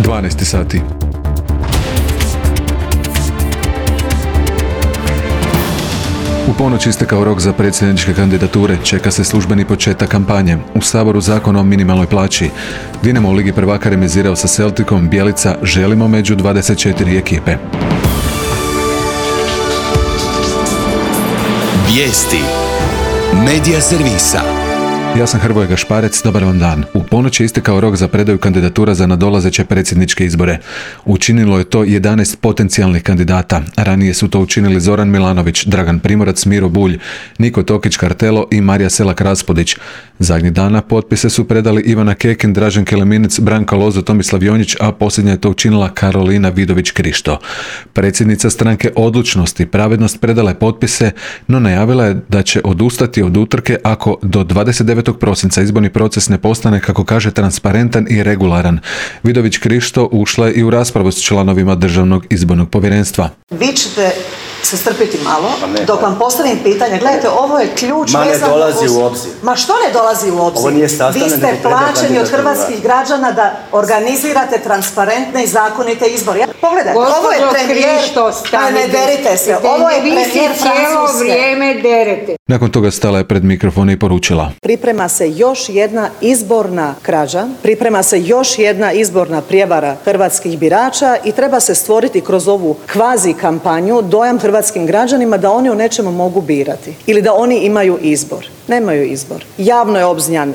12 sati. U ponoć istekao rok za predsjedničke kandidature, čeka se službeni početak kampanje. U Saboru zakon o minimalnoj plaći. Dinamo u Ligi prvaka remizirao sa Celticom, Bjelica želimo među 24 ekipe. Vijesti Medija servisa. Ja sam Hrvoje Gašparec, dobar vam dan. U ponoć je istekao rok za predaju kandidatura za nadolazeće predsjedničke izbore. Učinilo je to 11 potencijalnih kandidata. Ranije su to učinili Zoran Milanović, Dragan Primorac, Miro Bulj, Niko Tokić-Kartelo i Marija Selak-Raspudić. Zadnjih dana potpise su predali Ivana Kekin, Dražen Keleminec, Branka Lozo, Tomislav Jonjić, a posljednja je to učinila Karolina Vidović-Krišto. Predsjednica stranke Odlučnost i pravednost predala je potpise, no najavila je da će odustati od utrke ako do 29. prosinca izborni proces ne postane, kako kaže, transparentan i regularan. Vidović-Krišto ušla je i u raspravu s članovima Državnog izbornog povjerenstva. Vi ćete se strpiti malo, dok vam postavim pitanje. Gledajte, ovo je ključ. Ne dolazi u obzir. Ma što ne dolazi u obzir? Vi ste plaćeni od hrvatskih građana da organizirate transparentne i zakonite izbore. Pogledajte, ovo je premijer. Ne derite se. Ovo je premijer Francuske. Vrijeme derete. Nakon toga stala je pred mikrofon i poručila: Priprema se još jedna izborna krađa, priprema se još jedna izborna prijevara hrvatskih birača i treba se stvoriti kroz ovu kvazi kampanju dojam hrvatskim građanima da oni u nečemu mogu birati ili da oni imaju izbor. Nemaju izbor. Javno je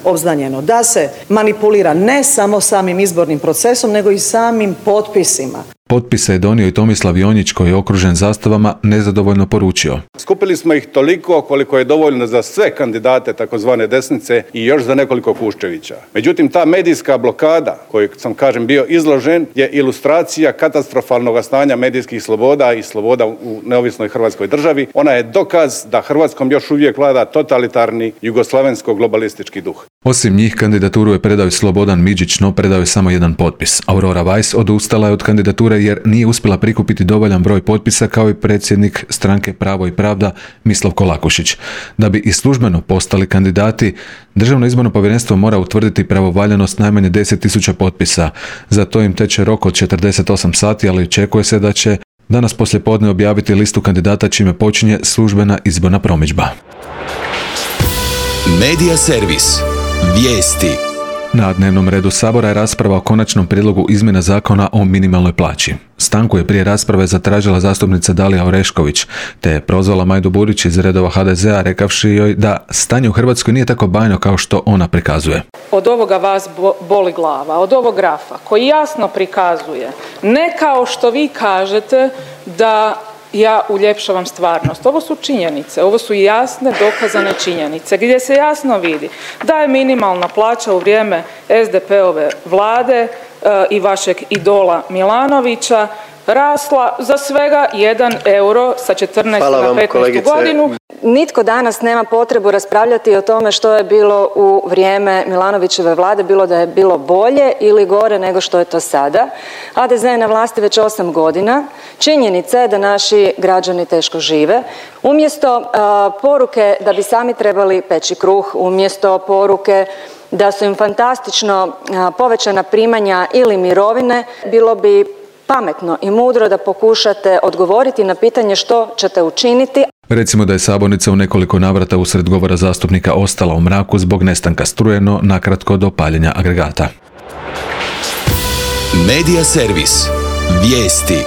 obznanjeno da se manipulira ne samo samim izbornim procesom, nego i samim potpisima. Potpise je donio i Tomislav Jonjić, koji je okružen zastavama, nezadovoljno poručio: Skupili smo ih toliko koliko je dovoljno za sve kandidate takozvane desnice i još za nekoliko Kuščevića. Međutim, ta medijska blokada koju sam, bio izložen je ilustracija katastrofalnog stanja medijskih sloboda i sloboda u neovisnoj Hrvatskoj državi. Ona je dokaz da Hrvatskom još uvijek vlada totalitarni jugoslavensko-globalistički duh. Osim njih, kandidaturu je predao Slobodan Midžić, no predao je samo jedan potpis. Aurora Weiss odustala je od kandidature jer nije uspjela prikupiti dovoljan broj potpisa, kao i predsjednik stranke Pravo i pravda Mislav Kolakušić. Da bi i službeno postali kandidati, Državno izborno povjerenstvo mora utvrditi pravovaljanost najmanje 10.000 potpisa. Za to im teče rok od 48 sati, ali očekuje se da će danas poslijepodne objaviti listu kandidata, čime počinje službena izborna promidžba. Medija servis. Vijesti. Na dnevnom redu Sabora je rasprava o konačnom prijedlogu izmjena zakona o minimalnoj plaći. Stanku je prije rasprave zatražila zastupnica Dalija Orešković, te je prozvala Majdu Burić iz redova HDZ-a, rekavši joj da stanje u Hrvatskoj nije tako bajno kao što ona prikazuje. Od ovoga vas boli glava, od ovog grafa koji jasno prikazuje, ne kao što vi kažete da ja uljepšavam stvarnost. Ovo su činjenice, ovo su jasne dokazane činjenice gdje se jasno vidi da je minimalna plaća u vrijeme SDP-ove vlade i vašeg idola Milanovića rasla za svega 1 euro sa 14 na 15 godinu. Nitko danas nema potrebu raspravljati o tome što je bilo u vrijeme Milanovićeve vlade, bilo da je bilo bolje ili gore nego što je to sada. HDZ je na vlasti već 8 godina. Činjenica je da naši građani teško žive. Umjesto poruke da bi sami trebali peći kruh, umjesto poruke da su im fantastično povećana primanja ili mirovine, bilo bi pametno i mudro da pokušate odgovoriti na pitanje što ćete učiniti. Recimo da je sabornica u nekoliko navrata usred govora zastupnika ostala u mraku zbog nestanka struje, no nakratko do paljenja agregata. Medija servis. Vijesti.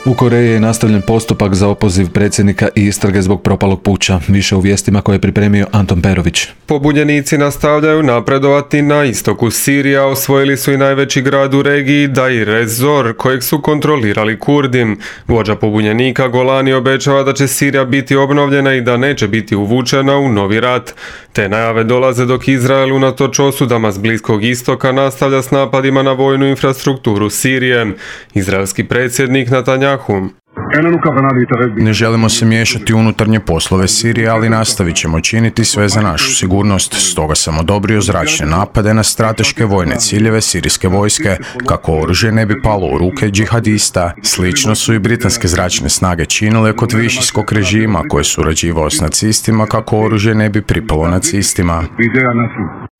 U Koreji je nastavljen postupak za opoziv predsjednika i istrage zbog propalog puča. Više u vijestima koje je pripremio Anton Perović. Pobunjenici nastavljaju napredovati na istoku Sirija, osvojili su i najveći grad u regiji Deir ez-Zor, kojeg su kontrolirali Kurdi. Vođa pobunjenika Golani obećava da će Sirija biti obnovljena i da neće biti uvučena u novi rat. Te najave dolaze dok Izrael unatoč osudama s Bliskog istoka nastavlja s napadima na vojnu infrastrukturu Sirije. Izraelski predsjednik Netanjahu Ne želimo se miješati u unutarnje poslove Sirije, ali nastavit ćemo činiti sve za našu sigurnost. Stoga sam odobrio zračne napade na strateške vojne ciljeve sirijske vojske, kako oružje ne bi palo u ruke džihadista. Slično su i britanske zračne snage činile kod višijskog režima koji je surađivao s nacistima, kako oružje ne bi pripalo nacistima.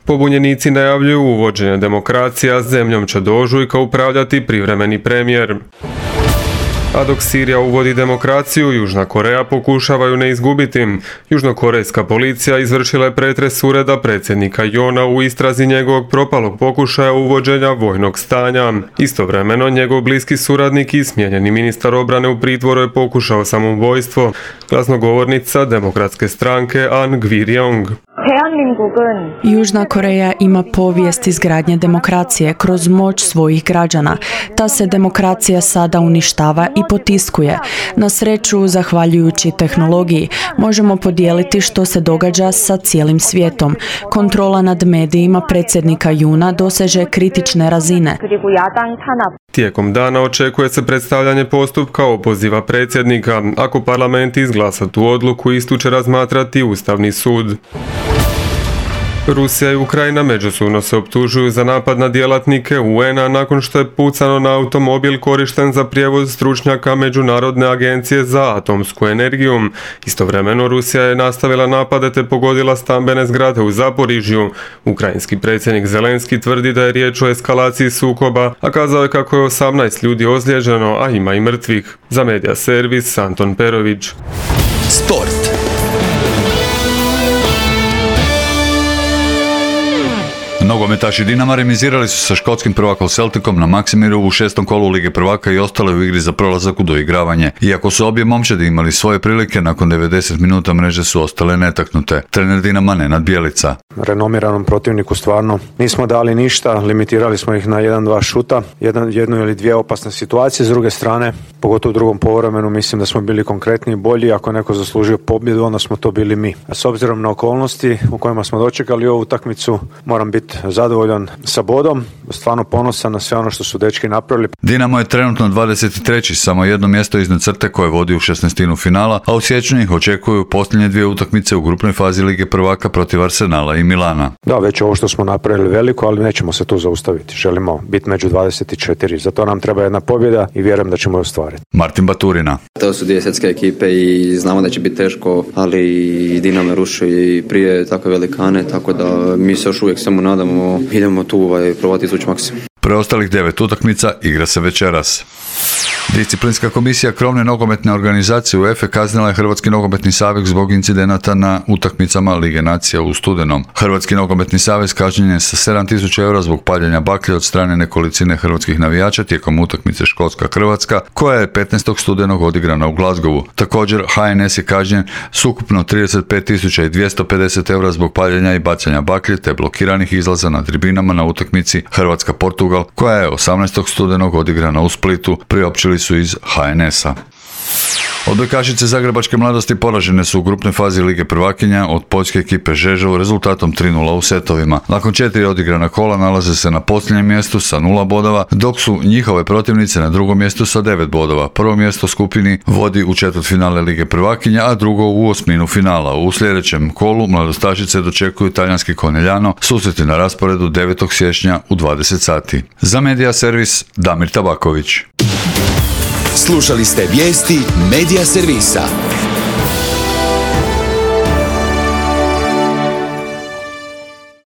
Pobunjenici najavljuju uvođenje demokracije, a zemljom će do ožujka upravljati privremeni premijer. A dok Sirija uvodi demokraciju, Južna Koreja pokušava ju ne izgubiti. Južnokorejska policija izvršila je pretres ureda predsjednika Jona u istrazi njegovog propalog pokušaja uvođenja vojnog stanja. Istovremeno, njegov bliski suradnik i smijenjeni ministar obrane u pritvoru je pokušao samoubojstvo. Glasnogovornica Demokratske stranke An Gwir-yong. Južna Koreja ima povijest izgradnje demokracije kroz moć svojih građana. Ta se demokracija sada uništava i potiskuje. Na sreću, zahvaljujući tehnologiji, možemo podijeliti što se događa sa cijelim svijetom. Kontrola nad medijima predsjednika Juna doseže kritične razine. Tijekom dana očekuje se predstavljanje postupka opoziva predsjednika. Ako parlament izglasa tu odluku, istu će razmatrati Ustavni sud. Rusija i Ukrajina međusobno se optužuju za napad na djelatnike UN-a nakon što je pucano na automobil korišten za prijevoz stručnjaka Međunarodne agencije za atomsku energiju. Istovremeno Rusija je nastavila napade te pogodila stambene zgrade u Zaporižju. Ukrajinski predsjednik Zelenski tvrdi da je riječ o eskalaciji sukoba, a kazao je kako je 18 ljudi ozlijeđeno, a ima i mrtvih. Za Media Servis, Anton Perović. Sport. Nogometaši Dinama remizirali su sa škotskim prvakom Celticom na Maksimiru u 6. kolu Lige prvaka i ostale u igri za prolazak u doigravanje. Iako su obje momčadi imali svoje prilike, nakon 90 minuta mreže su ostale netaknute. Trener Dinama Nenad Bjelica. Renomiranom protivniku stvarno nismo dali ništa, limitirali smo ih na 1-2 šuta, jednu ili dvije opasne situacije. S druge strane, pogotovo u drugom poluvremenu, mislim da smo bili konkretni i bolji. Ako neko zaslužio pobjedu, onda smo to bili mi. A s obzirom na okolnosti u kojima smo dočekali ovu utakmicu, moram biti zadovoljan sa bodom, stvarno ponosan na sve ono što su dečki napravili. Dinamo je trenutno 23. samo jedno mjesto iznad crte koje vodi u 16. finala, a u siječnju ih očekuju posljednje dvije utakmice u grupnoj fazi Lige prvaka protiv Arsenala i Milana. Da, već ovo što smo napravili veliko, ali nećemo se tu zaustaviti. Želimo biti među 24. Zato nam treba jedna pobjeda i vjerujem da ćemo je ostvariti. Martin Baturina. To su dvije svjetske ekipe i znamo da će biti teško, ali i Dinamo ruši i prije takve velikane, tako da mi se još uvijek samo nadamo, idemo tu probati izvući maksimum. Preostalih 9 utakmica igra se večeras. Disciplinska komisija krovne nogometne organizacije UEFA kaznila je Hrvatski nogometni savez zbog incidenata na utakmicama Lige nacija u studenom. Hrvatski nogometni savez kažnjen je sa 7.000 eura zbog paljenja baklje od strane nekolicine hrvatskih navijača tijekom utakmice Škotska-Hrvatska, koja je 15. studenog odigrana u Glasgowu. Također, HNS je kažnjen s ukupno 35.250 eura zbog paljenja i bacanja baklje te blokiranih izlaza na tribinama na utakmici Hrvatska-Portugal, koja je 18. studenog odigrana u Splitu, priopćili su iz HNS-a. Odbojkašice zagrebačke mladosti poražene su u grupnoj fazi Lige prvakinja od poljske ekipe Žežel rezultatom 3:0 u setovima. Nakon 4 odigrana kola nalaze se na posljednjem mjestu sa 0 bodova, dok su njihove protivnice na drugom mjestu sa 9 bodova. Prvo mjesto skupini vodi u četvrtfinale Lige prvakinja, a drugo u osminu finala. U sljedećem kolu mladostašice dočekuju talijanski Conegliano, susreti na rasporedu 9. siječnja u 20 sati. Za Media Servis, Damir Tabaković. Slušali ste vijesti Media Servisa.